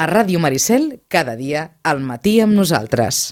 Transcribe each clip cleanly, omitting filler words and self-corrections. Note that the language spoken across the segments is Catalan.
A Ràdio Maricel, cada dia, al matí amb nosaltres.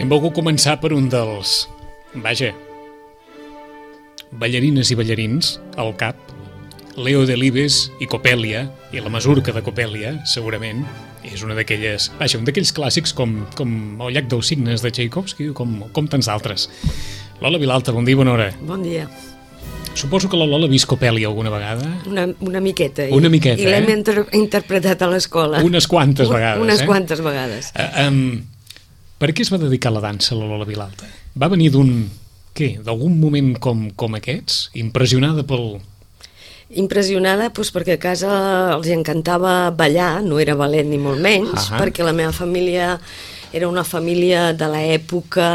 Hem volgut començar per un dels, ballarines i ballarins al cap, Leo Delibes i Copèlia, i la Masurca de Copèlia, segurament, és una d'aquelles, un d'aquells clàssics com El llac dels cignes de Tchaikovsky, com tants d'altres. Lola Vilalta, bon dia i bona hora. Bon dia. Suposo que la Lola ha vist Copèlia alguna vegada? Una miqueta. Una miqueta, I l'hem interpretat a l'escola. Unes quantes vegades. Unes quantes vegades. Per què es va dedicar a la dansa, la Lola Vilalta? Va venir d'algun moment com aquests? Impressionada pel... Impressionada perquè a casa els encantava ballar, no era ballet ni molt menys, perquè la meva família era una família de l'època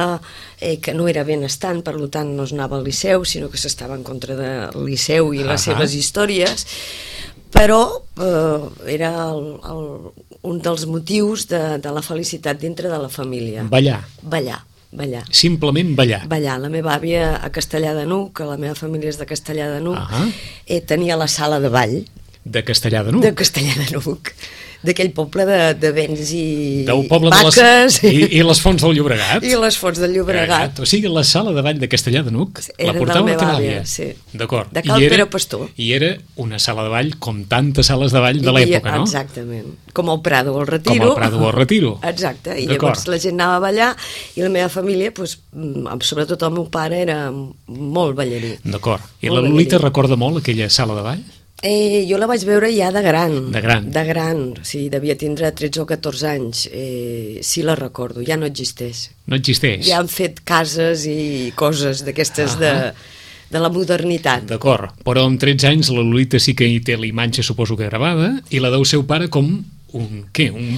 que no era benestant, per tant no es anava al Liceu, sinó que s'estava en contra del Liceu i les seves històries, però era un dels motius de la felicitat dintre de la família. Ballar. Simplement ballar. Ballar. La meva àvia a Castellar de N'Hug, que la meva família és de Castellar de N'Hug, tenia la sala de ball. De Castellar de N'Hug? De Castellar de N'Hug. D'aquell poble de vents i vaques. I les fonts del Llobregat. I les fonts del Llobregat. O sigui, la sala de ball de Castellar de N'Hug la portava la teva àvia. Sí. D'acord. De Cal Pere Pastor. I era una sala de ball com tantes sales de ball de l'època, no? Exactament. Com el Prado o el Retiro. Com el Prado o el Retiro. Exacte. I llavors la gent anava a ballar i la meva família, sobretot el meu pare, era molt ballarí. D'acord. I la Lolita recorda molt aquella sala de ball? Jo la vaig veure ja de gran. De gran? De gran, sí, devia tindre 13 o 14 anys. Sí, la recordo, ja no existeix. No existeix? Ja han fet cases i coses d'aquestes de la modernitat. D'acord, però amb 13 anys la Lolita sí que hi té la imatge, suposo que gravada, i la del seu pare com un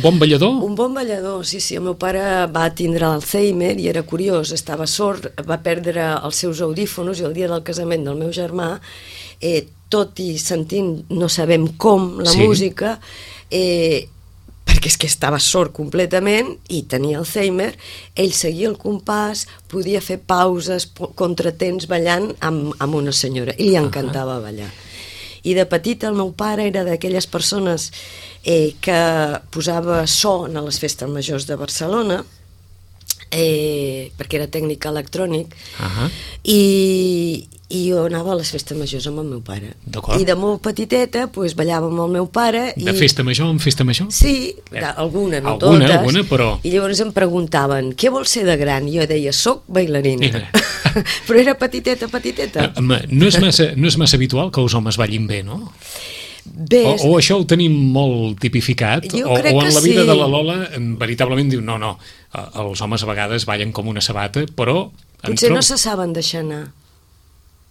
bon ballador? Un bon ballador, sí. El meu pare va tindre Alzheimer i era curiós, estava sord, va perdre els seus audífonos i el dia del casament del meu germà, tot i sentint, no sabem com, la música, perquè és que estava sord completament i tenia Alzheimer, ell seguia el compàs, podia fer pauses, contratemps ballant amb una senyora, i li encantava ballar. I de petit el meu pare era d'aquelles persones que posava so a les festes majors de Barcelona, perquè era tècnic electrònic, i jo anava a les festes majors amb el meu pare. I de molt petiteta ballava amb el meu pare. De festa major en festa major? Sí, alguna, no totes. Alguna, però... I llavors em preguntaven, què vols ser de gran? I jo deia, soc bailarina. Però era petiteta. No és massa habitual que els homes ballin bé, no? Bé, o això ho tenim molt tipificat, o en la vida de la Lola veritablement diu, no, els homes a vegades ballen com una sabata, però... Potser no se saben deixar anar.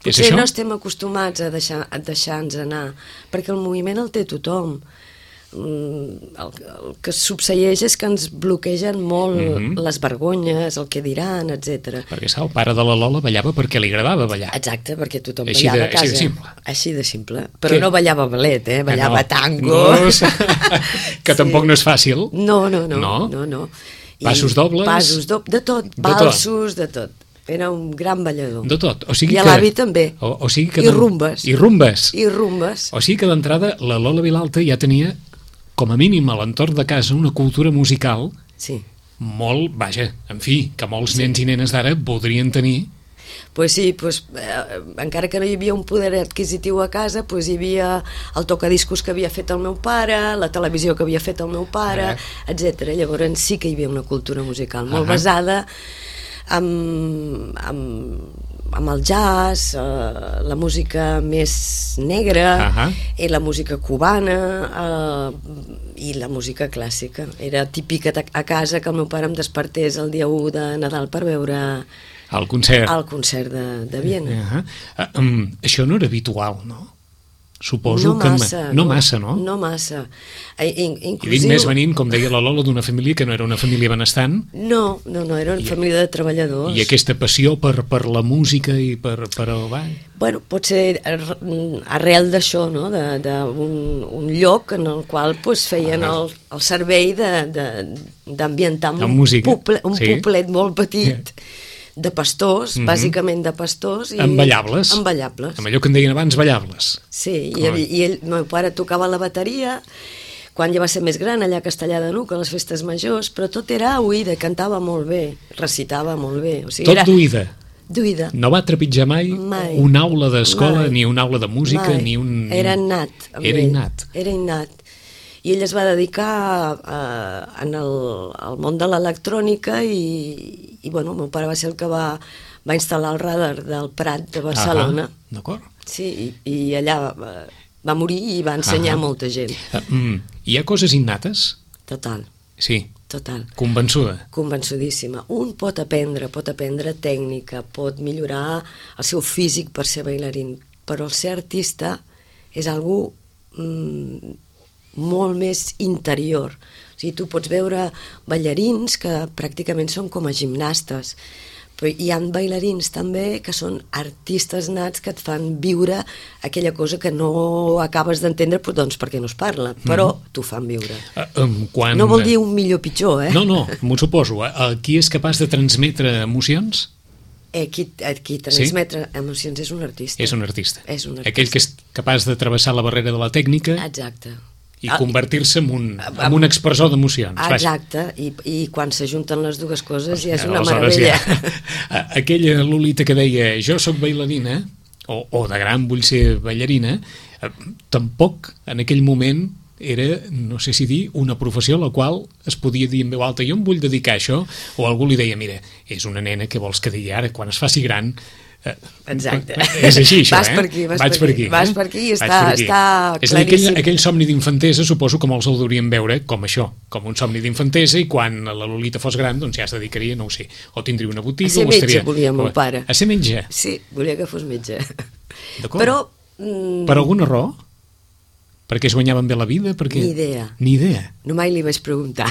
Potser no estem acostumats a deixar-nos anar, perquè el moviment el té tothom. El que succeeix és que ens bloquegen molt les vergonyes, el que diran, etc. Perquè el pare de la Lola ballava perquè li agradava ballar. Exacte, perquè tothom ballava a casa. Així de simple. Així de simple. Però no ballava ballet, ballava tango. Que tampoc no és fàcil. No. Passos dobles? Passos dobles, de tot. Valsos, de tot. Era un gran ballador. De tot. I a l'avi també. I rumbes. I rumbes. O sigui que d'entrada la Lola Vilalta ja tenia, com a mínim a l'entorn de casa, una cultura musical molt, que molts nens i nenes d'ara voldrien tenir Pues sí, encara que no hi havia un poder adquisitiu a casa, hi havia el tocadiscos que havia fet el meu pare, la televisió que havia fet el meu pare, etc. Llavors sí que hi havia una cultura musical molt basada amb el jazz, la música més negra, i la música cubana, i la música clàssica. Era típica a casa que el meu pare em despertés el dia 1 de Nadal per veure el concert de Viena. Això no era habitual, no? Suposo que... No massa, no? No massa. I dic més venint, com deia la Lola, d'una família que no era una família benestant. No, era una família de treballadors. I aquesta passió per la música i per el ball? Bueno, pot ser arrel d'això, no? D'un lloc en el qual feien el servei d'ambientar un poblet molt petit, de pastors, bàsicament de pastors. Amb ballables. Amb allò que en deien abans, ballables. Sí, i el meu pare tocava la bateria quan ja va ser més gran, allà a Castellar de N'Hug, a les festes majors, però tot era a oïda, cantava molt bé, recitava molt bé. Tot d'oïda? D'oïda. No va trepitjar mai una aula d'escola, ni una aula de música, ni un... Era innat. Era innat. I ell es va dedicar al món de l'electrònica i bueno, el meu pare va ser el que va instal·lar el radar del Prat de Barcelona. D'acord. Sí, i allà va morir i va ensenyar a molta gent. Hi ha coses innates? Total. Sí. Total. Convençuda? Convençudíssima. Un pot aprendre tècnica, pot millorar el seu físic per ser bailarín, però el ser artista és algú molt més interior. O sigui, tu pots veure ballarins que pràcticament són com a gimnastes, però hi ha bailarins també que són artistes nats que et fan viure aquella cosa que no acabes d'entendre, doncs perquè no es parla, però t'ho fan viure. No vol dir un millor o pitjor, No, m'ho suposo. Qui és capaç de transmetre emocions? Qui transmetre emocions és un artista. És un artista. Aquell que és capaç de travessar la barrera de la tècnica. Exacte. I convertir-se en un expressor d'emocions. Exacte, i quan s'ajunten les dues coses ja és una meravella. Aquella Lolita que deia jo sóc bailarina, o de gran vull ser ballarina, tampoc en aquell moment era, no sé si dir, una professió a la qual es podia dir en veu alta jo em vull dedicar a això, o algú li deia mira, és una nena que vols que digui ara, quan es faci gran... Exacte. És així, això, Vas per aquí i està claríssim. És a dir, aquell somni d'infantesa suposo que molts el deurien veure com això, com un somni d'infantesa, i quan la Lolita fos gran doncs ja es dedicaria, no ho sé, o tindria una botiga... A ser metge volia meu pare. A ser metge? Sí, volia que fos metge. D'acord. Però... Per alguna raó? Perquè es guanyaven bé la vida? Ni idea. Ni idea? No mai li vaig preguntar.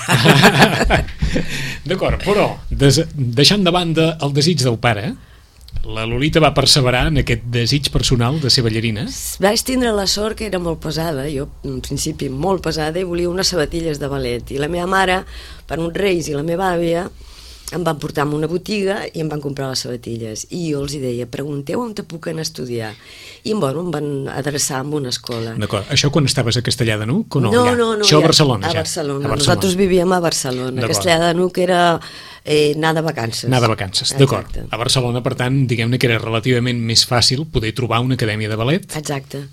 D'acord, però deixant de banda el desig del pare, la Lolita va perseverar en aquest desig personal de ser ballarina? Vaig tindre la sort que era molt pesada, jo en principi molt pesada, i volia unes sabatilles de ballet, i la meva mare, per uns reis i la meva àvia, em van portar a una botiga i em van comprar les sabatilles, i jo els deia, pregunteu on te puc anar a estudiar, i bueno, em van adreçar a una escola. D'acord, això quan estaves a Castellar de N'Hug o no? No, això a Barcelona, ja? A Barcelona. Nosaltres vivíem a Barcelona, a Castellar de N'Hug era anar de vacances. Anar de vacances, d'acord. A Barcelona, per tant, diguem-ne que era relativament més fàcil poder trobar una acadèmia de ballet. Exacte.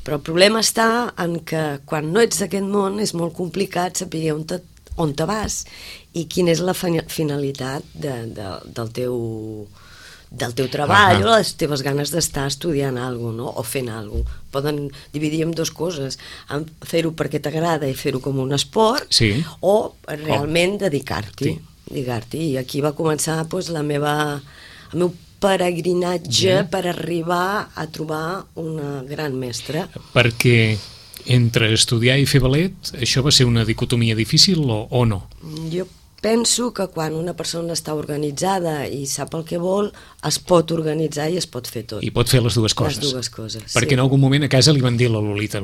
Però el problema està en que quan no ets d'aquest món és molt complicat saber on te vas i quina és la finalitat del teu treball o les teves ganes d'estar estudiant alguna cosa, no? O fent alguna cosa. Poden dividir en dues coses, fer-ho perquè t'agrada i fer-ho com un esport, o realment dedicar-t'hi. I aquí va començar el meu peregrinatge per arribar a trobar una gran mestra. Perquè entre estudiar i fer ballet, això va ser una dicotomia difícil o no? Jo penso que quan una persona està organitzada i sap el que vol, es pot organitzar i es pot fer tot. I pot fer les dues coses. Les dues coses, perquè en algun moment a casa li van dir a la Lolita,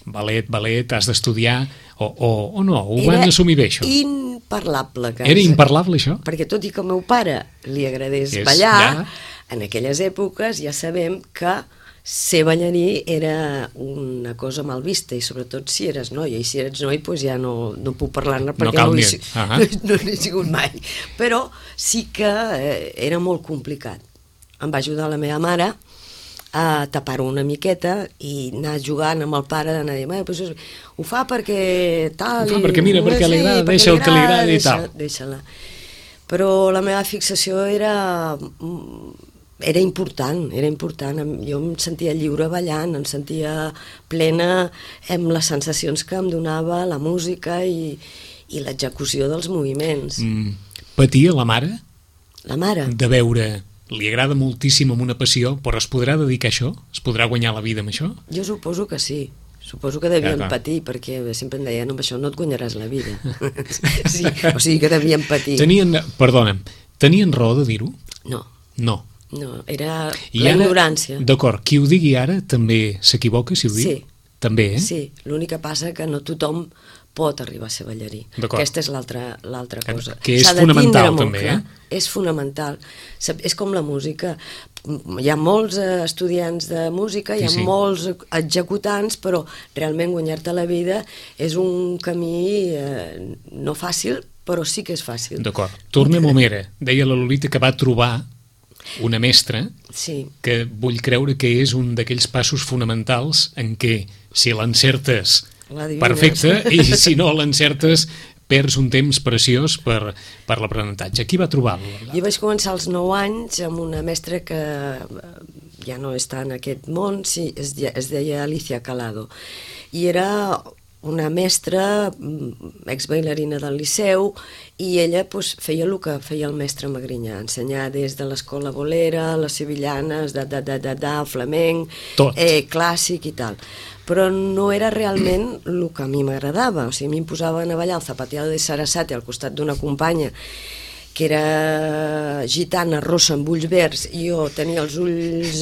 ballet, has d'estudiar, o no? Ho van assumir bé, això? Era imparlable. Era imparlable, això? Perquè tot i que al meu pare li agradés ballar, en aquelles èpoques ja sabem que ser ballarí era una cosa mal vista, i sobretot si eres noia, i si eres noi doncs ja no puc parlar-ne perquè no n'he sigut mai, però sí que era molt complicat. Em va ajudar la meva mare a tapar-ho una miqueta i anar jugant amb el pare, d'anar a dir, pues, ho fa perquè tal... Ho fa perquè mira, perquè li agrada, deixa el que li agrada i tal. Deixa-la. Però la meva fixació era important, jo em sentia lliure ballant, em sentia plena amb les sensacions que em donava la música i l'execució dels moviments. Patia la mare? La mare? De veure, li agrada moltíssim amb una passió, però es podrà dedicar a això? Es podrà guanyar la vida amb això? Jo suposo que sí. Suposo que devien patir, perquè sempre em deien, amb això no et guanyaràs la vida. Sí, o sigui que devien patir. Tenien raó de dir-ho? No. No. No, era la ignorància. D'acord, qui ho digui ara també s'equivoca, si ho diu? Sí. També, eh? Sí, l'únic que passa que no tothom pot arribar a ser ballarí. Aquesta és l'altra cosa. Que és fonamental, també, És fonamental. És com la música. Hi ha molts estudiants de música, hi ha molts executants, però realment guanyar-te la vida és un camí no fàcil, però sí que és fàcil. D'acord. Tornem a Homera. Deia la Lolita que va trobar una mestra que vull creure que és un d'aquells passos fonamentals en què si l'encertes, perfecte, i si no l'encertes perds un temps preciós per l'aprenentatge. Qui va trobar-lo? Jo vaig començar als 9 anys amb una mestra que ja no està en aquest món, es deia Alicia Calado, i era una mestra, exbailarina del Liceu, i ella feia el que feia el mestre Magrinyà, ensenyar des de l'escola bolera, les sevillanes, flamenc, clàssic i tal. Però no era realment el que a mi m'agradava, o sigui, a mi em posaven a ballar el zapateado de Sarasate al costat d'una companya que era gitana, rossa, amb ulls verds, i jo tenia els ulls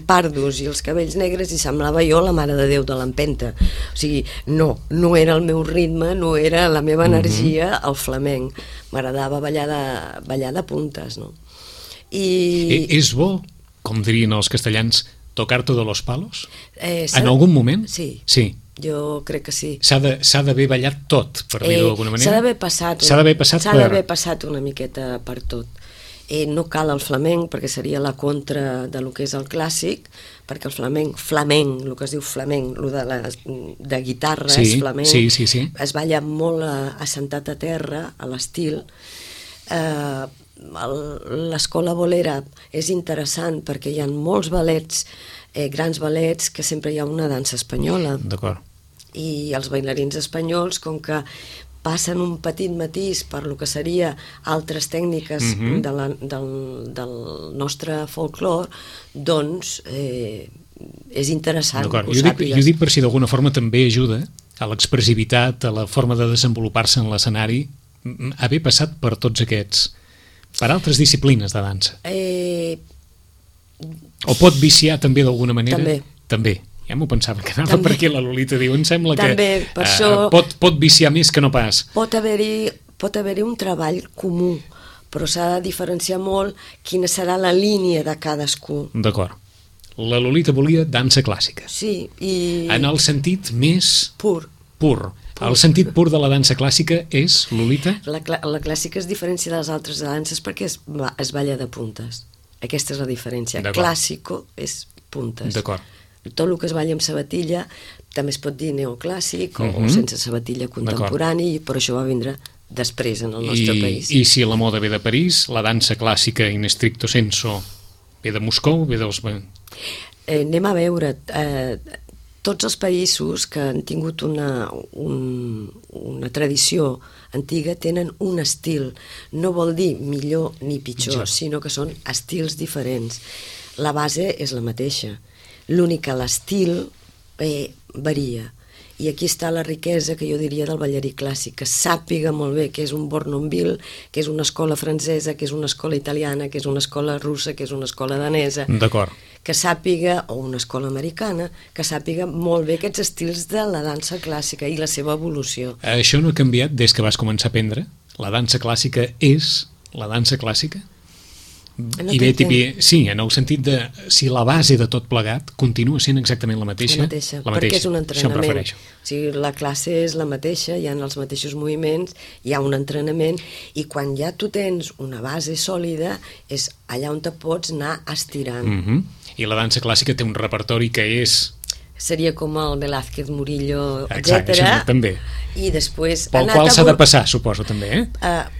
pardos i els cabells negres i semblava jo la Mare de Déu de l'Empenta. O sigui, no era el meu ritme, no era la meva energia el flamenc. M'agradava ballar de puntes, no? És bo, com dirien els castellans, tocar todos los palos? En algun moment? Sí. Jo crec que sí. S'ha d'haver ballat tot, per dir-ho d'alguna manera? S'ha d'haver passat una miqueta per tot. No cal el flamenc, perquè seria la contra de lo que és el clàssic, perquè el flamenc, el que es diu flamenc, de guitarres, flamenc, es balla molt assentat a terra, a l'estil. L'escola bolera és interessant perquè hi ha molts ballets, grans ballets, que sempre hi ha una dansa espanyola. D'acord. I els bailarins espanyols, com que passen un petit matís per lo que seria altres tècniques del nostre folklore, doncs és interessant que ho sàpigues. Jo dic per si d'alguna forma també ajuda a l'expressivitat, a la forma de desenvolupar-se en l'escenari, haver passat per tots aquests, per altres disciplines de dansa. O pot viciar també d'alguna manera? També. Ja m'ho pensava, que anava per aquí la Lolita diu, em sembla que pot viciar més que no pas. Pot haver-hi un treball comú, però s'ha de diferenciar molt quina serà la línia de cadascú. D'acord. La Lolita volia dansa clàssica. Sí, i... En el sentit més... Pur. El sentit pur de la dansa clàssica és, Lolita? La clàssica es diferencia de les altres danses perquè es balla de puntes. Aquesta és la diferència. Clàssico és puntes. D'acord. Tot el que es balla amb sabatilla també es pot dir neoclàssic o sense sabatilla contemporani, però això va vindre després en el nostre país. I si la moda ve de París, la dansa clàssica in stricto sensu ve de Moscou, ve dels... Anem a veure, tots els països que han tingut una tradició antiga tenen un estil, no vol dir millor ni pitjor, sinó que són estils diferents. La base és la mateixa. L'únic que l'estil varia. I aquí està la riquesa que jo diria del ballarí clàssic, que sàpiga molt bé que és un Bournonville, que és una escola francesa, que és una escola italiana, que és una escola russa, que és una escola danesa. D'acord. Que sàpiga, o una escola americana, que sàpiga molt bé aquests estils de la dansa clàssica i la seva evolució. Això no ha canviat des que vas començar a aprendre? La dansa clàssica és la dansa clàssica? No I bé, t'entenc. sí, en el sentit de si la base de tot plegat continua sent exactament la mateixa. Perquè és un Això em entrenament. refereixo. O sigui, la classe és la mateixa, hi ha els mateixos moviments, hi ha un entrenament, i quan ja tu tens una base sòlida, és allà on te pots anar estirant. I la dansa clàssica té un repertori que és... Seria com el Velázquez, Murillo, Exacte, etc. això també. I després... Pel qual s'ha de passar, suposo, també, eh?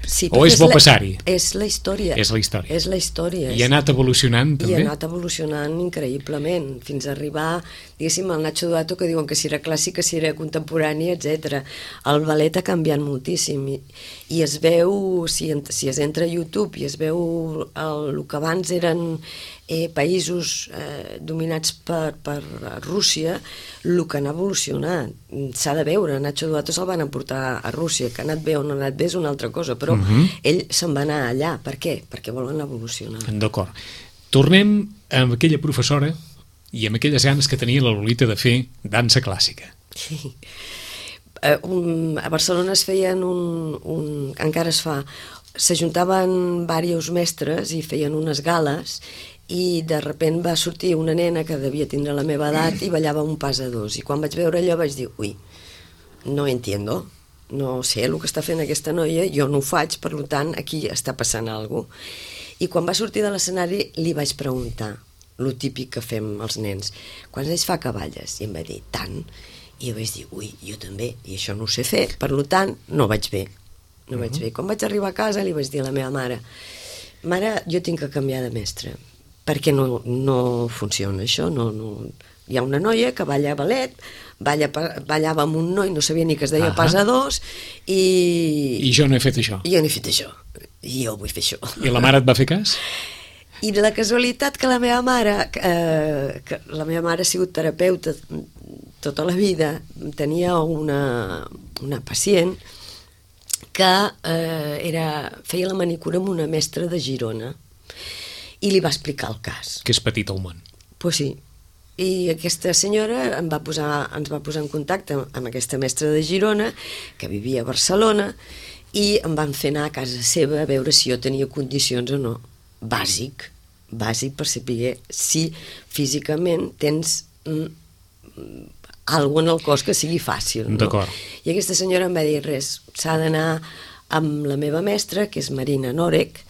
Sí, o és bo passar-hi? És la història. És la història. És la història. I ha anat evolucionant, també? I ha anat evolucionant increïblement, fins a arribar, diguéssim, al Nacho Duato, que diuen que si era clàssica, si era contemporani, etc. El ballet ha canviat moltíssim, i es veu, si es entra a YouTube, i es veu el que abans eren països dominats per Rússia, el que han evolucionat. S'ha de veure, Nacho Duato se'l van emportar a Rússia, que ha anat bé o no ha anat bé és una altra cosa, però ell se'n va anar allà. Per què? Perquè volen evolucionar. D'acord. Tornem amb aquella professora i amb aquelles ganes que tenia la Lolita de fer dansa clàssica. Sí. A Barcelona es feien encara es fa, s'ajuntaven diversos mestres i feien unes gales, i de repent va sortir una nena que devia tindre la meva edat i ballava un pas a dos, i quan vaig veure allò vaig dir, ui, no entiendo, no sé el que està fent aquesta noia, jo no ho faig, per tant aquí està passant alguna cosa. I quan va sortir de l'escenari li vaig preguntar, lo típic que fem els nens, quants anys fa que balles? I em va dir, tant. I jo vaig dir, ui, jo també, i això no ho sé fer, per tant no vaig bé. No vaig bé. Quan vaig arribar a casa li vaig dir a la meva mare, mare, jo tinc que canviar de mestre, perquè no funciona això, no. Hi ha una noia que balla ballet, ballava amb un noi, no sabia ni que es deia pas a dos, I jo no he fet això. I jo no he fet això, i jo vull fer això. I la mare et va fer cas? I la casualitat que la meva mare ha sigut terapeuta tota la vida, tenia una pacient que feia la manicura amb una mestra de Girona, i li va explicar el cas. Que és petit el món. Pues sí. I aquesta senyora ens va posar en contacte amb aquesta mestra de Girona, que vivia a Barcelona, i em van fer anar a casa seva a veure si jo tenia condicions o no. Bàsic per saber si físicament tens alguna en el cos que sigui fàcil. No? D'acord. I aquesta senyora em va dir, res, s'ha d'anar amb la meva mestra, que és Marina Norek,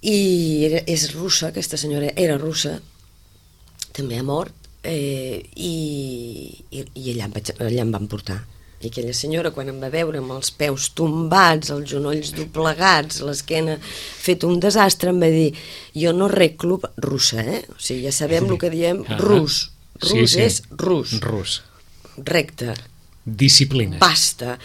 i és russa, aquesta senyora era russa, també ha mort, i allà em van portar. I aquella senyora, quan em va veure amb els peus tombats, els genolls doblegats, l'esquena fet un desastre, em va dir, jo no arreglo russa, o sigui, ja sabem el que diem rus. Rus és rus. Rus. Recte. Disciplina. Basta,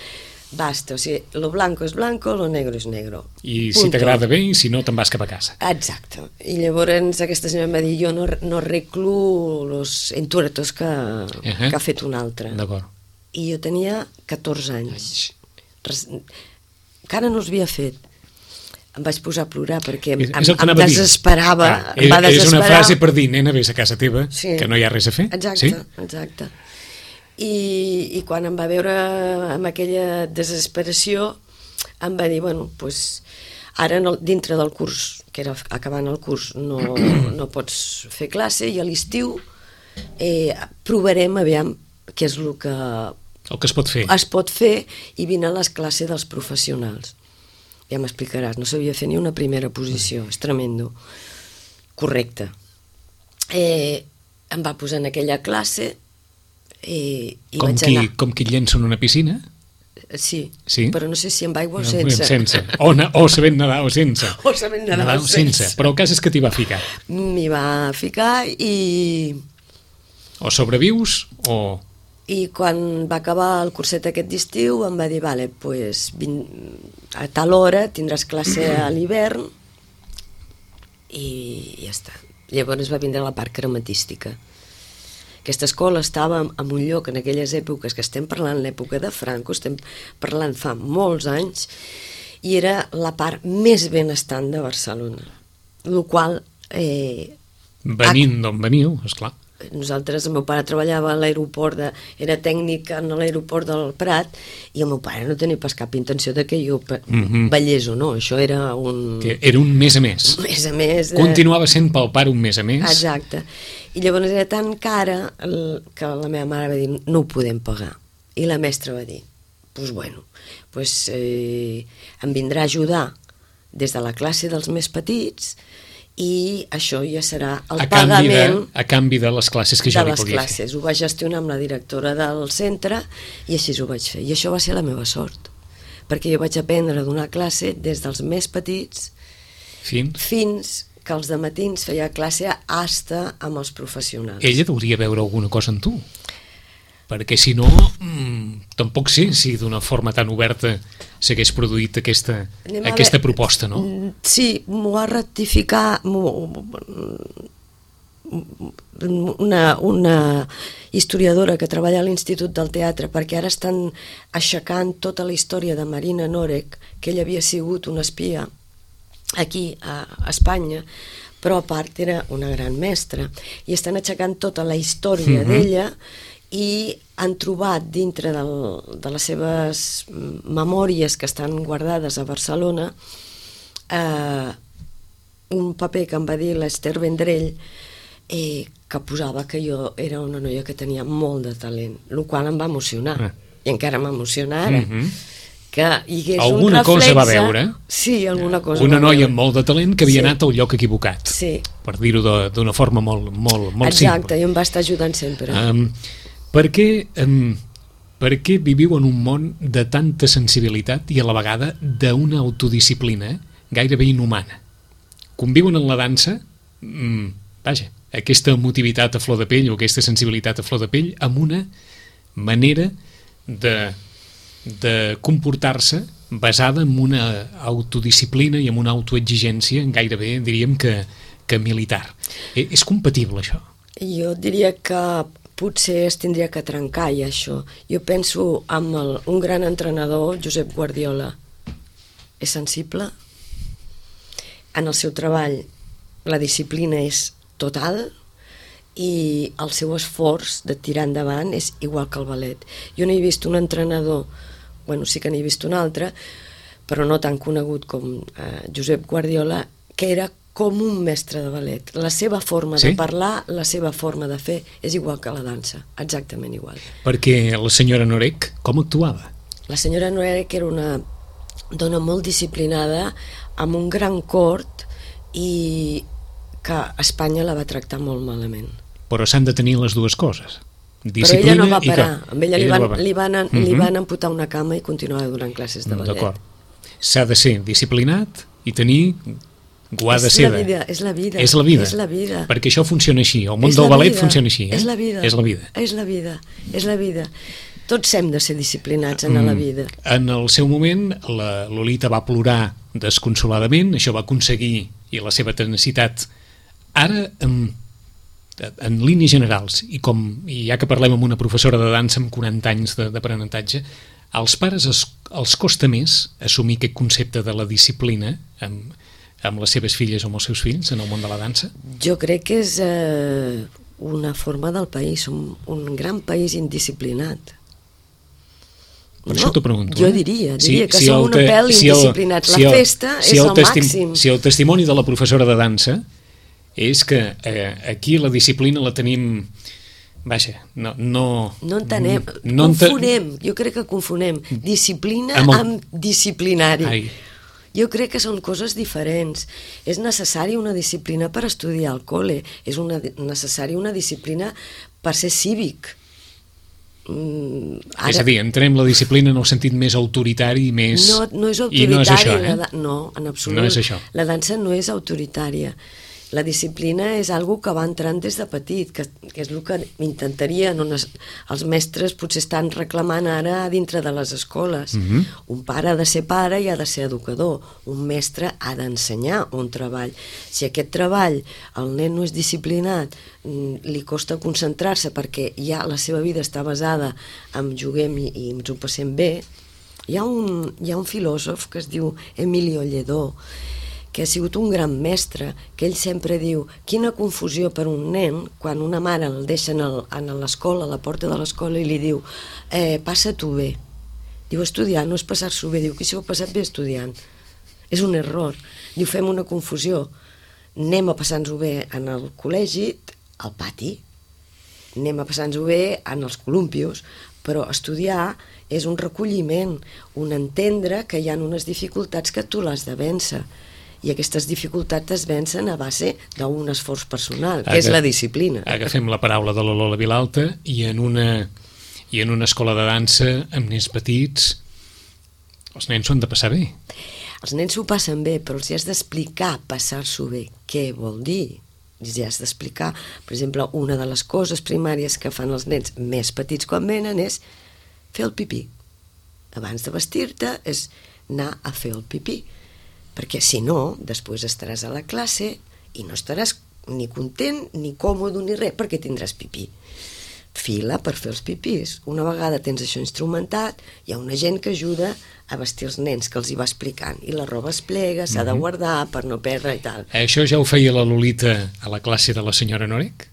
o sigui, lo blanco és blanco, lo negro és negro. I si t'agrada bé, i si no, te'n vas cap a casa. Exacte. I llavors aquesta senyora em va dir, jo no arreglo los entuertos que ha fet un altre. D'acord. I jo tenia 14 anys. Encara no els havia fet. Em vaig posar a plorar perquè em desesperava. És una frase per dir, nena, vés a casa teva, que no hi ha res a fer. Exacte. I quan em va veure amb aquella desesperació, em va dir, bueno, doncs ara dintre del curs, que era acabant el curs, no pots fer classe, i a l'estiu provarem a veure què és el que es pot fer. Es pot fer, i vine a les classes dels professionals. Ja m'explicaràs, no sabia fer ni una primera posició, és tremendo. Correcte. Em va posar en aquella classe i vaig anar... Com qui llença en una piscina? Sí, però no sé si amb aigua o sense. O sabent nedar o sense. O sabent nedar o sense. Però el cas és que t'hi va ficar. M'hi va ficar i... O sobrevius o... I quan va acabar el curset aquest d'estiu em va dir, vale, pues, a tal hora tindràs classe a l'hivern, i ja està. Llavors va vindre la part crematística. Aquesta escola estava en un lloc en aquelles èpoques, que estem parlant l'època de Franco, estem parlant fa molts anys, i era la part més benestant de Barcelona, el qual... Venint d'on veniu, esclar. Nosaltres, el meu pare treballava a l'aeroport, era tècnic en l'aeroport del Prat, i el meu pare no tenia pas cap intenció de que jo ballés o no, això era un... Que era un mes a mes. Un mes a mes. Continuava sent pel pare un mes a mes. Exacte. I llavors era tan cara que la meva mare va dir, no ho podem pagar. I la mestra va dir, doncs bueno, em vindrà a ajudar des de la classe dels més petits, i això ja serà el pagament a canvi de les classes que jo li podia fer. Ho vaig gestionar amb la directora del centre i així ho vaig fer. I això va ser la meva sort, perquè jo vaig aprendre a donar classe des dels més petits fins que els dematins feia classe hasta amb els professionals. Ella hauria veure alguna cosa en tu, perquè si no, tampoc sé si d'una forma tan oberta s'hagués produït aquesta proposta, no? Sí, m'ho va ratificar una historiadora que treballa a l'Institut del Teatre, perquè ara estan aixecant tota la història de Marina Norek, que ella havia sigut una espia aquí a Espanya, però a part era una gran mestra, i estan aixecant tota la història d'ella, i han trobat dintre de les seves memòries que estan guardades a Barcelona un paper que em va dir l'Ester Vendrell, que posava que jo era una noia que tenia molt de talent, el qual em va emocionar, i encara m'emociona ara. Que hi hagués alguna un reflexe... cosa va veure? Sí, alguna cosa una va noia veure. amb molt de talent que havia anat al lloc equivocat, per dir-ho d'una forma molt simple. Exacte, i em va estar ajudant sempre. Per què viviu en un món de tanta sensibilitat i a la vegada d'una autodisciplina gairebé inhumana? Conviuen en la dansa, aquesta emotivitat a flor de pell o aquesta sensibilitat a flor de pell amb una manera de comportar-se basada en una autodisciplina i en una autoexigència gairebé, diríem que militar. És compatible, això? Jo diria que potser es tindria que trencar, ja, això. Jo penso en un gran entrenador, Josep Guardiola. És sensible. En el seu treball la disciplina és total i el seu esforç de tirar endavant és igual que el ballet. Jo no he vist un entrenador, bueno, sí que n'he vist un altre, però no tan conegut com Josep Guardiola, que era com un mestre de ballet. La seva forma de parlar, la seva forma de fer, és igual que la dansa, exactament igual. Perquè la senyora Norek, com actuava? La senyora Norek era una dona molt disciplinada, amb un gran cort, i que Espanya la va tractar molt malament. Però s'han de tenir les dues coses. Però ella no va parar. Amb ella li van amputar una cama i continuava donant classes de ballet. D'acord. S'ha de ser disciplinat i tenir guarda seda. És la vida. És la vida. Perquè això funciona així. El món del ballet funciona així. És la vida. És la vida. Tots hem de ser disciplinats en la vida. En el seu moment, la Lolita va plorar desconsoladament, això va aconseguir, i la seva tenacitat. Ara, en línies generals, i ja que parlem amb una professora de dansa amb 40 anys d'aprenentatge, als pares els costa més assumir aquest concepte de la disciplina amb les seves filles o amb els seus fills en el món de la dansa? Jo crec que és una forma del país, un gran país indisciplinat. Per això t'ho pregunto. Jo diria que som un pèl indisciplinats. La festa és el màxim. Si el testimoni de la professora de dansa és que aquí la disciplina la tenim... Vaja, no entenem, confonem, jo crec que confonem disciplina amb disciplinari. Jo crec que són coses diferents. És necessària una disciplina per estudiar al col·le, és necessària una disciplina per ser cívic. És a dir, entrem la disciplina en el sentit més autoritari i més... No és autoritari. I no és això, No, en absolut. No és això. La dansa no és autoritària. La disciplina és algo que va entrant des de petit, que és el que intentarien, els mestres potser estan reclamant ara dintre de les escoles. Un pare ha de ser pare i ha de ser educador. Un mestre ha d'ensenyar un treball. Si aquest treball el nen no és disciplinat, li costa concentrar-se perquè ja la seva vida està basada en juguem i ens ho passem bé. Hi ha un filòsof que es diu Emilio Lledó, que ha sigut un gran mestre, que ell sempre diu, quina confusió per un nen quan una mare el deixa en l'escola, a la porta de l'escola, i li diu, passa-t'ho bé. Diu, estudiar no és passar-s'ho bé, diu, qui s'ho ha passat bé estudiant? És un error. Diu, fem una confusió. Anem a passar-nos-ho bé en el col·legi, al pati, anem a passar-nos-ho bé en els columpios, però estudiar és un recolliment, un entendre que hi ha unes dificultats que tu l'has de vèncer, i aquestes dificultats es vencen a base d'un esforç personal, que és la disciplina. Agafem la paraula de la Lola Vilalta i en una escola de dansa amb nens petits els nens s'ho han de passar bé. Els nens s'ho passen bé, però els has d'explicar passar-s'ho bé. Què vol dir? Els has d'explicar. Per exemple, una de les coses primàries que fan els nens més petits quan venen és fer el pipí. Abans de vestir-te és anar a fer el pipí, perquè si no, després estaràs a la classe i no estaràs ni content, ni còmode, ni res, perquè tindràs pipí. Fila per fer els pipís. Una vegada tens això instrumentat, hi ha una gent que ajuda a vestir els nens, que els hi va explicant, i la roba es plega, s'ha de guardar per no perdre i tal. Això ja ho feia la Lolita a la classe de la senyora Norec?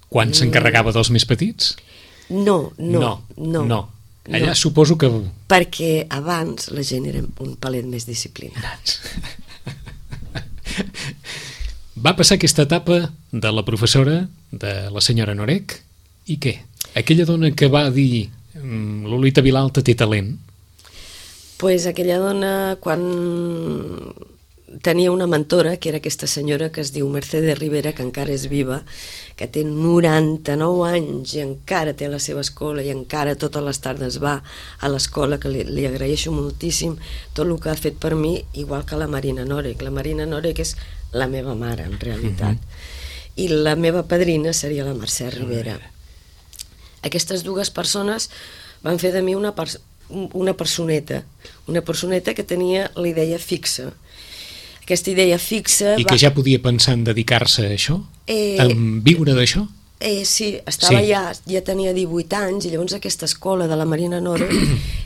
Quan s'encarregava dels més petits? No. Allà suposo que... Perquè abans la gent era un palet més disciplinats. Va passar aquesta etapa de la professora, de la senyora Norec, i què? Aquella dona que va dir Lolita Vilalta té talent? Pues aquella dona, quan tenia una mentora, que era aquesta senyora que es diu Mercedes Rivera, que encara és viva, que té 99 anys i encara té la seva escola i encara totes les tardes va a l'escola, que li agraeixo moltíssim tot el que ha fet per mi, igual que la Marina Norec. La Marina Norec és la meva mare, en realitat. I la meva padrina seria la Mercè Rivera. Aquestes dues persones van fer de mi una personeta que tenia la idea fixa. Aquesta idea fixa... I que ja podia pensar en dedicar-se a això? En viure d'això? Sí, estava ja tenia 18 anys, i llavors aquesta escola de la Marina Norec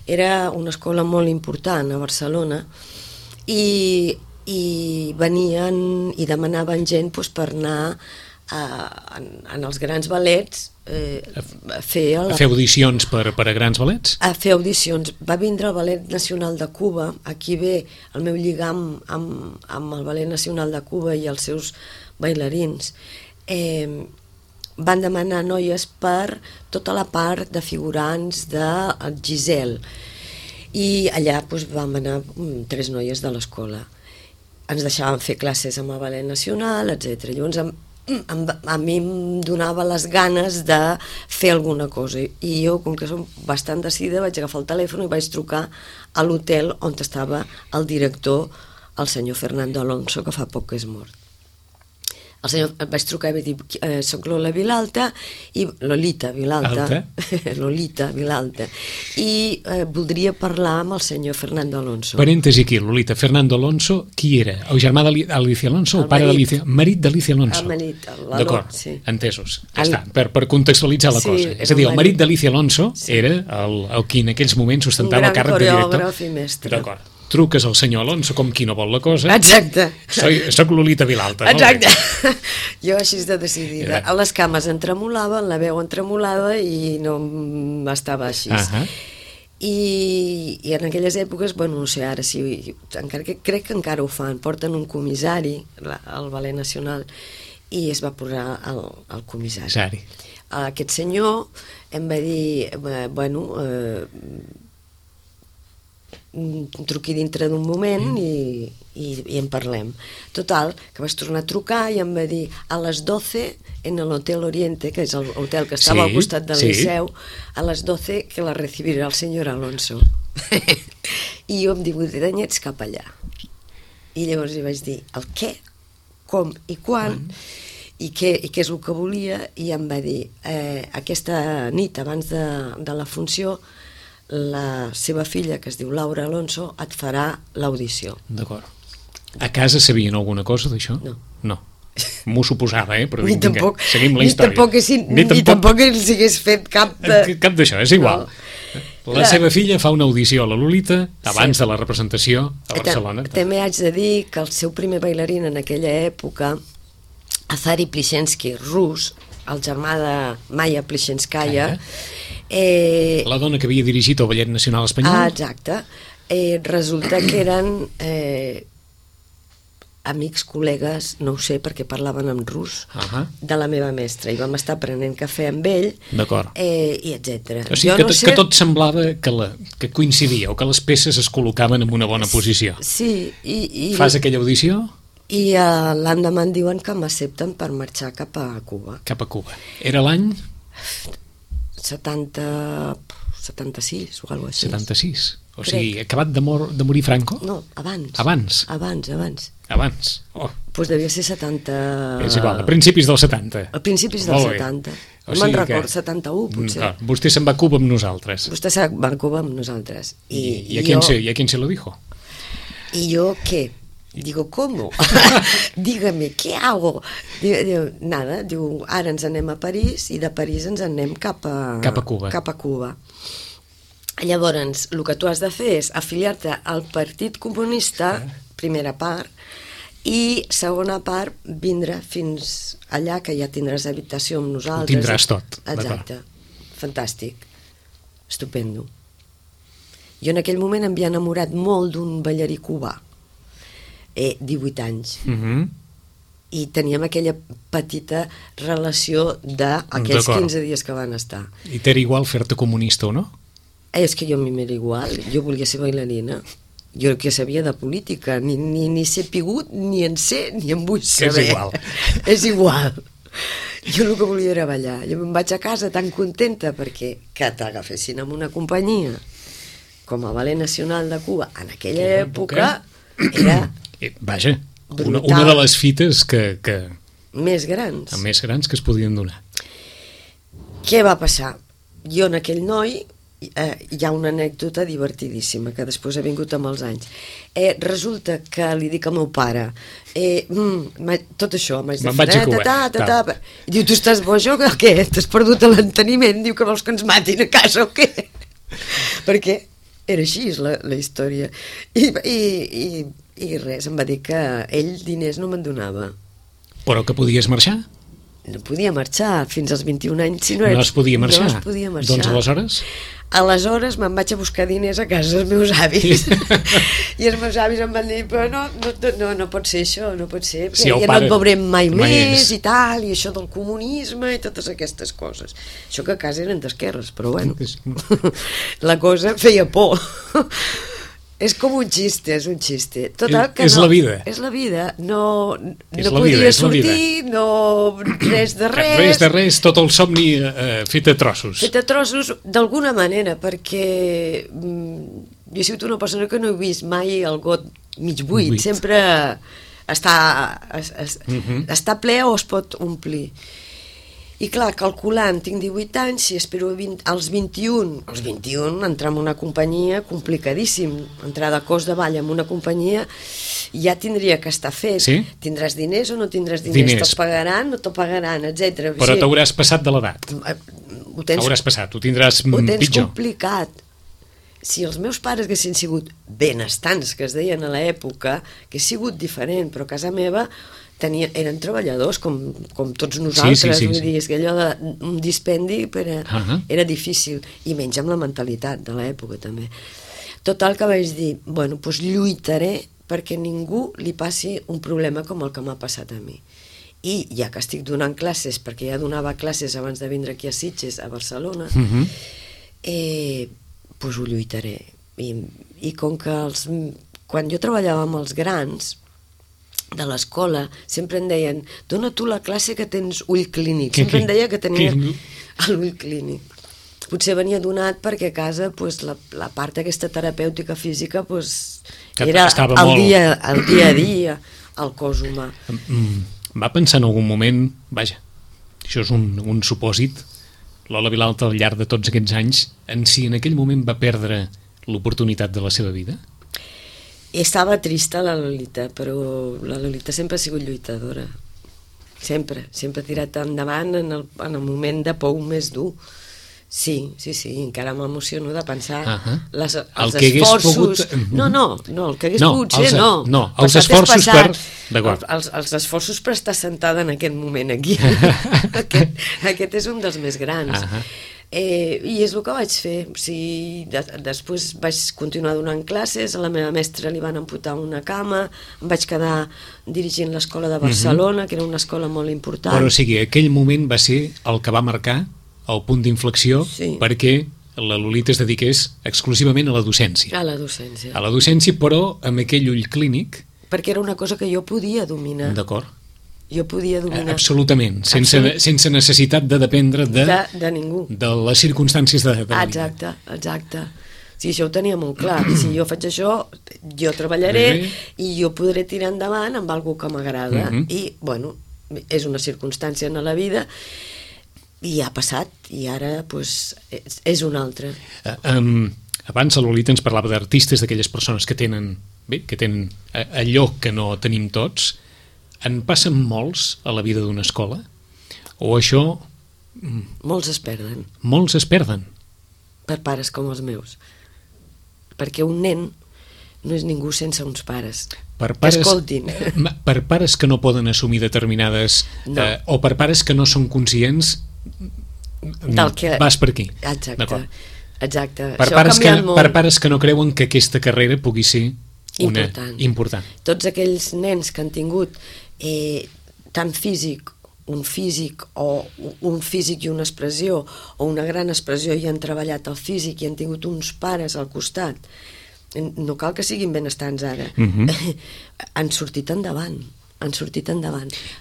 era una escola molt important a Barcelona, i venien i demanaven gent per anar en els grans ballets a fer audicions per a grans ballets? A fer audicions. Va vindre el Ballet Nacional de Cuba, aquí ve el meu lligam amb el Ballet Nacional de Cuba i els seus bailarins. Van demanar noies per tota la part de figurants de Giselle, i allà vam anar 3 noies de l'escola. Ens deixaven fer classes amb el Ballet Nacional, etc. Llavors a mi em donava les ganes de fer alguna cosa, i jo, com que som bastant decidida, vaig agafar el telèfon i vaig trucar a l'hotel on estava el director, el senyor Fernando Alonso, que fa poc que és mort. Vaig trucar i vaig dir, soc Lolita Vilalta, i voldria parlar amb el senyor Fernando Alonso. Parèntesi aquí, Lolita. Fernando Alonso, qui era? El germà d'Alicia Alonso o pare d'Alicia? Marit d'Alicia Alonso. El marit, d'acord, sí. Entesos. Ja està, per contextualitzar la cosa. És a dir, el marit d'Alicia Alonso era el qui en aquells moments ostentava el càrrec de director. Un gran coreògraf i mestre. D'acord. Truques al senyor Alonso com qui no vol la cosa. Exacte. Soc Lolita Vilalta. Exacte. Jo així de decidida. A les cames em tremolava, la veu em tremolava i no estava així. I en aquelles èpoques, no sé, ara sí, crec que encara ho fan, porten un comissari al Ballet Nacional i es va posar el comissari. Aquest senyor em va dir, truqui dintre d'un moment i en parlem. Total, que vaig tornar a trucar i em va dir a les 12 en l'Hotel Oriente, que és el hotel que estava al costat del Liceu, a les 12 que la recibirà el senyor Alonso. I jo amb 18 anyets cap allà. I llavors li vaig dir el què, com i quan, i què és el que volia, i em va dir aquesta nit abans de la funció la seva filla, que es diu Laura Alonso, et farà l'audició. D'acord. A casa sabien alguna cosa d'això? No. M'ho suposava, però seguim la història. Ni tampoc que els hagués fet cap d'això, és igual. La seva filla fa una audició a la Lolita abans de la representació a Barcelona. També haig de dir que el seu primer bailarín en aquella època, Azari Plishenski, rus, el germà de Maya Plishenskaya, la dona que havia dirigit el Ballet Nacional Espanyol. Exacte. Resulta que eren amics, col·legues, no ho sé, perquè parlaven en rus, de la meva mestra, i vam estar prenent cafè amb ell, i etcètera. O sigui, que tot semblava que coincidia, o que les peces es col·locaven en una bona posició. Sí. Fas aquella audició? I l'endemà em diuen que m'accepten per marxar cap a Cuba. Cap a Cuba. Era l'any? 76 o alguna cosa així. 76? O sigui, acabat de morir Franco? No, abans. Abans? Abans. Doncs devia ser 70... És igual, a principis dels 70. A principis dels 70. No me'n recordo, 71 potser. Vostè se'n va a Cuba amb nosaltres. Vostè se'n va a Cuba amb nosaltres. ¿Y a quién se lo dijo? ¿Y yo qué? Digo, ¿cómo? Dígame, ¿qué hago? Diu, nada, diu, ara ens anem a París i de París ens anem cap a Cuba. Llavors, el que tu has de fer és afiliar-te al Partit Comunista, primera part, i segona part, vindre fins allà, que ja tindràs habitació amb nosaltres. Ho tindràs tot. Exacte. Fantàstic. Estupendo. Jo en aquell moment em havia enamorat molt d'un ballarí cubà. 18 anys. I teníem aquella petita relació d'aquells 15 dies que van estar. I t'era igual fer-te comunista o no? És que jo a mi m'era igual. Jo volia ser bailarina. Jo que sabia de política. Ni sé pigut, ni en sé, ni en vull saber. És igual. És igual. Jo el que volia era ballar. Jo me'n vaig a casa tan contenta perquè que t'agafessin amb una companyia com el Ballet Nacional de Cuba en aquella època era... Vaja, una de les fites que... Més grans. Més grans que es podien donar. Què va passar? Jo en aquell noi, hi ha una anècdota divertidíssima que després ha vingut amb els anys. Resulta que li dic al meu pare, tot això, me'n vaig a Cuba. Diu, tu estàs boja o què? T'has perdut l'enteniment? Diu que vols que ens matin a casa o què? Perquè era així la història. I res, em va dir que ell diners no me'n donava. Però que podies marxar? No podia marxar fins als 21 anys. No es podia marxar? No es podia marxar. Doncs aleshores? Aleshores me'n vaig a buscar diners a casa dels meus avis. I els meus avis em van dir, però no pot ser això, no pot ser, perquè ja no et veurem mai més i tal, i això del comunisme i totes aquestes coses. Això que a casa eren d'esquerres, però bueno, la cosa feia por. És com un xiste, és un xiste. Total, que és la vida. És la vida. No podia sortir, res de res. Res de res, tot el somni fet a trossos. Fet a trossos, d'alguna manera, perquè jo he sigut una persona que no he vist mai el got mig buit. Sempre està ple o es pot omplir. I clar, calculant, tinc 18 anys, si espero als 21 entrar en una companyia, complicadíssim, entrar de cos de ball en una companyia, ja tindria que estar fet. Sí? Tindràs diners o no tindràs diners? Te'l pagaran o te'l pagaran, etc. Però t'hauràs passat de l'edat. Hauràs passat, ho tindràs pitjor. Ho tens complicat. Si els meus pares haguessin sigut benestants, que es deien a l'època, que ha sigut diferent, però a casa meva eren treballadors com tots nosaltres, vull dir, és que allò d'un dispendi era difícil, i menys amb la mentalitat de l'època també. Total, que vaig dir, bueno, doncs lluitaré perquè ningú li passi un problema com el que m'ha passat a mi. I ja que estic donant classes, perquè ja donava classes abans de vindre aquí a Sitges, a Barcelona, doncs ho lluitaré. I com que quan jo treballava amb els grans de l'escola, sempre em deien, dona tu la classe que tens ull clínic. Sempre em deia que tenia l'ull clínic. Potser venia donat perquè a casa la part aquesta terapèutica física era el dia a dia, el cos humà. Va pensar en algun moment, vaja, això és un supòsit, Lola Vilalta al llarg de tots aquests anys, en si en aquell moment va perdre l'oportunitat de la seva vida? Estava trista la Lolita, però la Lolita sempre ha sigut lluitadora. Sempre ha tirat endavant en el moment de pou més dur. Sí, encara m'emociono de pensar els que esforços... pogut... No, el que hagués pogut ser, no. No, els esforços per... D'acord. Els esforços per estar sentada en aquest moment aquí. Aquest és un dels més grans. I és el que vaig fer. O sigui, després vaig continuar donant classes, a la meva mestra li van amputar una cama, em vaig quedar dirigint l'escola de Barcelona, que era una escola molt important. Però o sigui, aquell moment va ser el que va marcar el punt d'inflexió perquè la Lolita es dediqués exclusivament a la docència. A la docència. A la docència, però amb aquell ull clínic... Perquè era una cosa que jo podia dominar. D'acord. Jo podia dominar. Absolutament, sense necessitat de dependre de ningú. De les circumstàncies de la vida. Exacte. Sí, això ho tenia molt clar. Si jo faig això, jo treballaré i jo podré tirar endavant amb alguna que m'agrada. I, bueno, és una circumstància en la vida i ha passat, i ara pues, és una altra. Abans la Lolita ens parlava d'artistes, d'aquelles persones que tenen allò que no tenim tots. En passen molts a la vida d'una escola? O això... Molts es perden. Molts es perden? Per pares com els meus. Perquè un nen no és ningú sense uns pares. Per pares, que escoltin. Per pares que no poden assumir determinades... No. O per pares que no són conscients... Del que... Vas per aquí. Exacte. Per pares que no creuen que aquesta carrera pugui ser important. Tots aquells nens que han tingut tant un físic i una expressió, o una gran expressió i han treballat el físic i han tingut uns pares al costat, no cal que siguin benestants ara, han sortit endavant.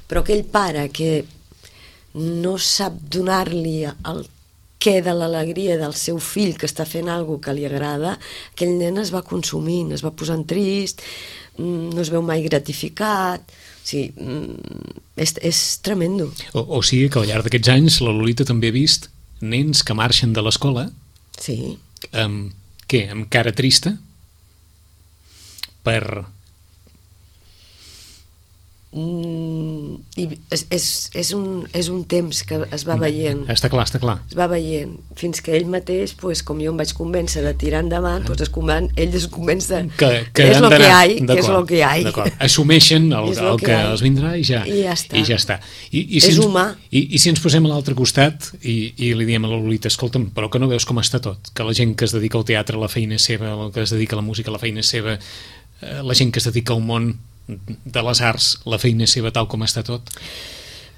Però aquell pare que no sap donar-li el què de l'alegria del seu fill que està fent alguna que li agrada, aquell nen es va consumint, es va posant trist, no es veu mai gratificat. O sigui, és tremendo. O sigui que al llarg d'aquests anys la Lolita també ha vist nens que marxen de l'escola amb cara trista per... I és un temps que es va veient. Està clar. Es va veient, fins que ell mateix, pues, com jo em vaig convèncer de tirar endavant, pues, ell es convenç que és lo que hi ha. Assumeixen el que els vindrà i ja està. És humà. I si ens posem a l'altre costat i li diem a la Lolita, escolta'm, però que no veus com està tot, que la gent que es dedica al teatre, la feina és seva, el que es dedica a la música, la feina és seva, la gent que es dedica al món de les arts, la feina seva tal com està tot?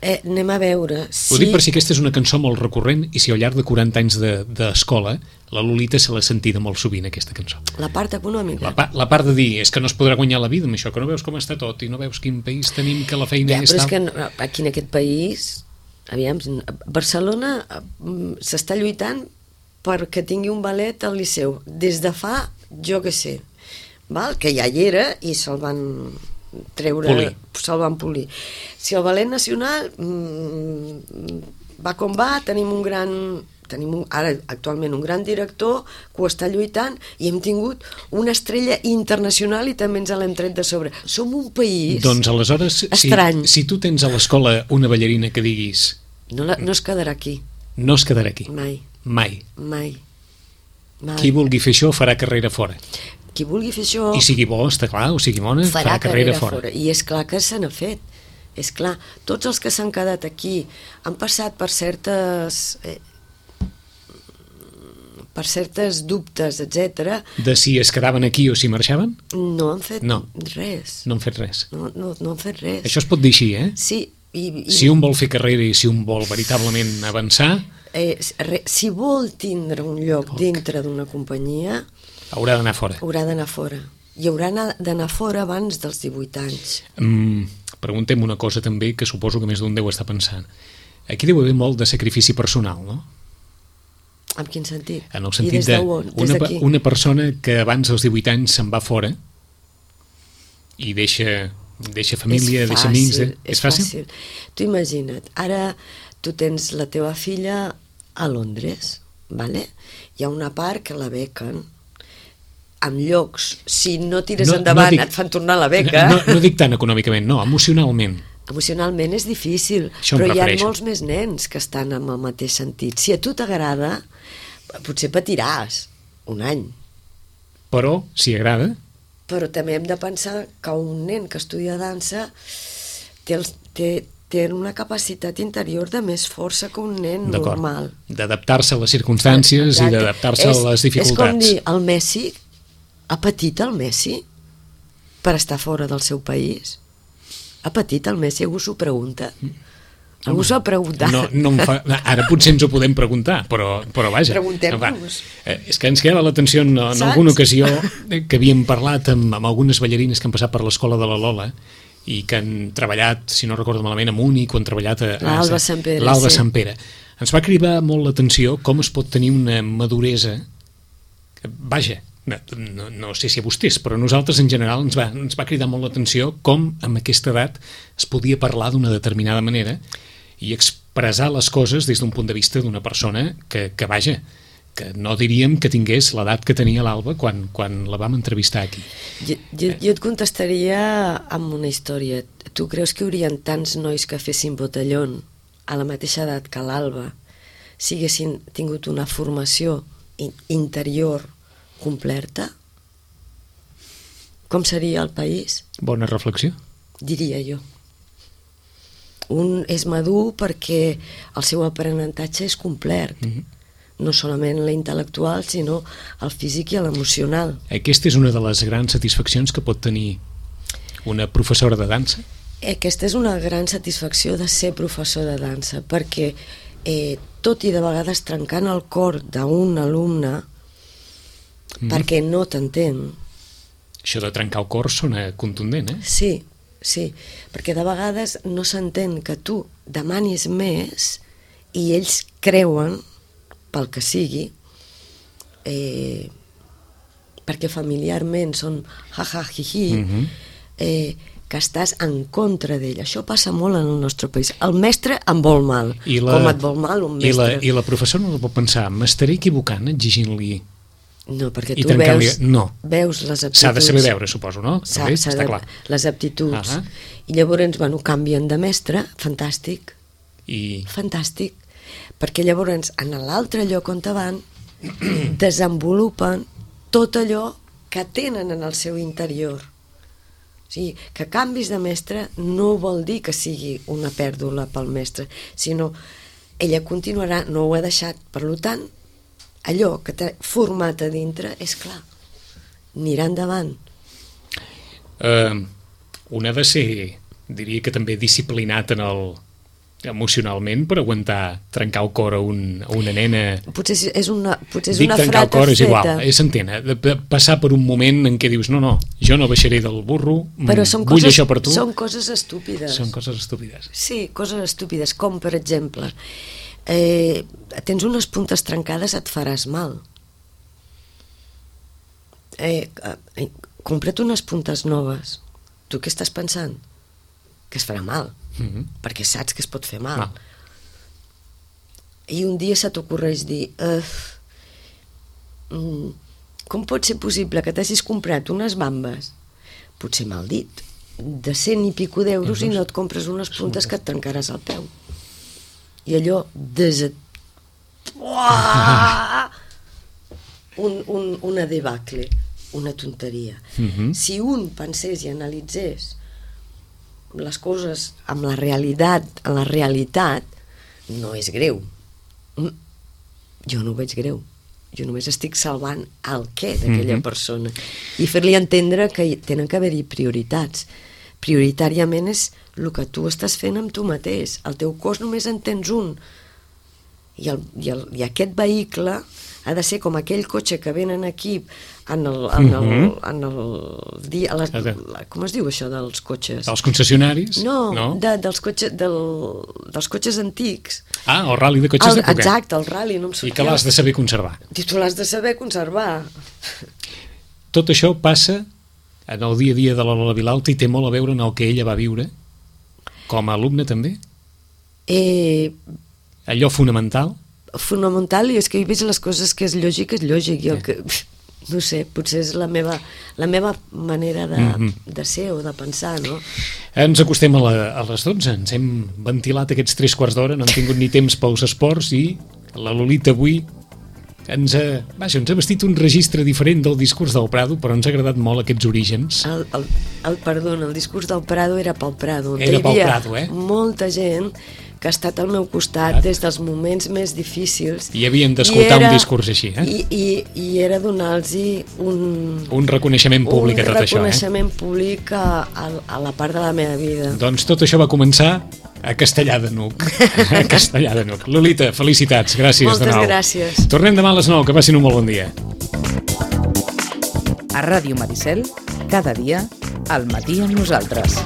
Anem a veure. Ho dic per si aquesta és una cançó molt recurrent i si al llarg de 40 anys d'escola la Lolita se l'ha sentida molt sovint, aquesta cançó. La part econòmica. La part de dir, és que no es podrà guanyar la vida amb això, que no veus com està tot i no veus quin país tenim, que la feina és tal. Però és que aquí en aquest país, aviam, Barcelona s'està lluitant perquè tingui un ballet al Liceu des de fa, jo què sé, que ja hi era i se'l van se'l van polir. Si el ballet nacional va com va, tenim ara actualment un gran director que ho està lluitant i hem tingut una estrella internacional i també ens l'hem tret de sobre. Som un país doncs aleshores, estrany. Si tu tens a l'escola una ballarina que diguis no es quedarà aquí. No es quedarà aquí. Mai. Qui vulgui fer això farà carrera fora. Qui vulgui fer això... I sigui bo, està clar, o sigui bona, farà carrera fora. I és clar que se n'ha fet. És clar, tots els que s'han quedat aquí han passat per certes dubtes, etc. De si es quedaven aquí o si marxaven? No han fet res. No han fet res. No han fet res. Això es pot dir així, Sí. Si un vol fer carrera i si un vol veritablement avançar... Si vol tindre un lloc dintre d'una companyia... Haurà d'anar fora. I haurà d'anar fora abans dels 18 anys. Preguntem una cosa també que suposo que més d'un deu estar pensant. Aquí deu haver molt de sacrifici personal, no? En quin sentit? En el sentit una persona que abans dels 18 anys se'n va fora i deixa família, deixa amics... És fàcil? Tu imagina't, ara tu tens la teva filla a Londres, vale? Hi ha una part que la bequen amb llocs, si no tires endavant et fan tornar la beca. No dic tant econòmicament, no, emocionalment. Emocionalment és difícil, Això em però hi ha refereixo. molts més nens que estan en el mateix sentit. Si a tu t'agrada, potser patiràs un any, Però, si agrada, però també hem de pensar que un nen que estudia dansa té una capacitat interior de més força que un nen d'acord, normal. d'adaptar-se a les circumstàncies i Exacte. d'adaptar-se a les dificultats. És com dir, el Messi, ha patit el Messi per estar fora del seu país? Ha patit el Messi? Algú s'ho pregunta? Algú s'ho ha preguntat? No em fa... Ara potser ens ho podem preguntar, però vaja. Preguntem-nos. És que ens queda l'atenció en alguna ocasió que havíem parlat amb algunes ballarines que han passat per l'escola de la Lola i que han treballat, si no recordo malament, a Múnich o han treballat a l'Alba Sant Pere. L'Alba Sant Pere. Ens va cridar molt l'atenció com es pot tenir una maduresa que, vaja, no sé si a vostès, però a nosaltres en general ens va cridar molt l'atenció com amb aquesta edat es podia parlar d'una determinada manera i expressar les coses des d'un punt de vista d'una persona que vaja, que no diríem que tingués l'edat que tenia l'Alba quan la vam entrevistar aquí. Jo et contestaria amb una història. Tu creus que hi haurien tants nois que fessin botellón a la mateixa edat que l'Alba si haguessin tingut una formació interior completa? Com seria el país? Bona reflexió. Diria jo. Un és madur perquè el seu aprenentatge és complet. No solament l'intel·lectual, sinó el físic i l'emocional. Aquesta és una de les grans satisfaccions que pot tenir una professora de dansa? Aquesta és una gran satisfacció de ser professor de dansa, perquè tot i de vegades trencant el cor d'un alumne perquè no t'entén. Això de trencar el cor sona contundent, eh? Sí, perquè de vegades no s'entén que tu demanis més i ells creuen, pel que sigui, perquè familiarment són ha-ha-hi-hi, que estàs en contra d'ell. Això passa molt en el nostre país. El mestre em vol mal. Com et vol mal un mestre? I la professora no pot pensar, m'estaré equivocant exigint-li... No, perquè tu veus les aptituds. S'ha de saber veure, suposo, no? Està clar. Les aptituds. I llavors, canvien de mestre, fantàstic. Fantàstic. Perquè llavors, en l'altre lloc on van, desenvolupen tot allò que tenen en el seu interior. O sigui, que canvis de mestre no vol dir que sigui una pèrdua pel mestre, sinó ella continuarà, no ho ha deixat. Per tant, allò que t'ha format a dintre, és clar, anirà endavant. Un ha de ser, diria que també disciplinat emocionalment per aguantar trencar el cor a una nena. Potser és una trencar el cor és igual, s'entén, passar per un moment en què dius no, jo no baixaré del burro, vull això per tu. Són coses estúpides. Sí, coses estúpides, com per exemple, tens unes puntes trencades, et faràs mal. Compra't unes puntes noves. Tu què estàs pensant? Que es farà mal, perquè saps que es pot fer mal. I un dia se t'ocorreix dir com pot ser possible que t'hagis comprat unes bambes, potser mal dit, de 100 i pico d'euros i no et compres unes puntes que et trencaràs el peu. I allò una debacle, una tonteria. Si un pensés i analitzés les coses amb la realitat, en la realitat, no és greu. Jo no ho veig greu. Jo només estic salvant el què d'aquella persona i fer-li entendre que tenen que haver-hi prioritats. Prioritàriament és el que tu estàs fent amb tu mateix. El teu cos només en tens un. I aquest vehicle ha de ser com aquell cotxe que venen aquí com es diu això dels cotxes? Dels concessionaris? No, dels cotxes antics. El ral·li de cotxes d'època. Exacte, el ral·li, no em sortia. I que l'has de saber conservar. I tu l'has de saber conservar. Tot això passa en el dia a dia de la Lola Vilalta i té molt a veure en el que ella va viure com a alumne també? Allò fonamental? Fonamental, i és que he vist les coses que és lògic, és lògic. no sé, potser és la meva manera de ser o de pensar, no? Ens acostem a les 12, ens hem ventilat aquests 3/4 d'hora, no hem tingut ni temps pels esports i la Lolita avui ens ha vestit un registre diferent del discurs del Prado, però ens ha agradat molt aquests orígens. Perdona, el discurs del Prado era pel Prado. Era pel Prado, molta gent que ha estat al meu costat des dels moments més difícils. I havien d'escoltar un discurs així, I era donar-los un reconeixement públic a tot això. Un reconeixement públic a la part de la meva vida. Doncs tot això va començar a Castellar de Nuc. A Castellar de Nuc. Lolita, felicitats, gràcies de nou. Moltes gràcies. Tornem demà a les 9, que passin un molt bon dia. A Ràdio Maricel, cada dia, al matí amb nosaltres.